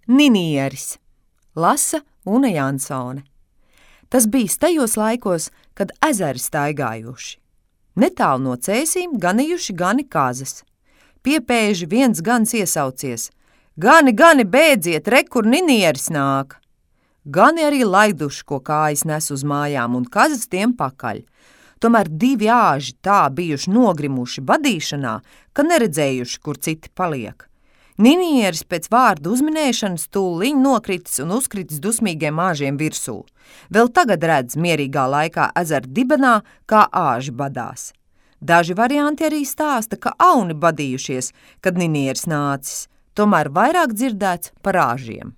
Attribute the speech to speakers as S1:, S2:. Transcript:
S1: Ninieris, lasa Une Jansone. Tas bijis tajos laikos, kad ezeri staigājuši. Netālu no cēsīm ganījuši gani kazas. Piepēži viens gans iesaucies: Gani, bēdziet, re, kur ninieris nāk! Gani arī laiduši, ko kājas nes uz mājām, un kazas tiem pakaļ. Tomēr divi āži tā bijuši nogrimuši badīšanā, ka neredzējuši, kur citi paliek. Ninieris pēc vārdu uzminēšanas tūliņ nokritis un uzkritis dusmīgiem āžiem virsū. Vēl tagad redz mierīgā laikā ezera dibenā, kā āži badās. Daži varianti arī stāsta, ka auni badījušies, kad ninieris nācis, tomēr vairāk dzirdēts par āžiem.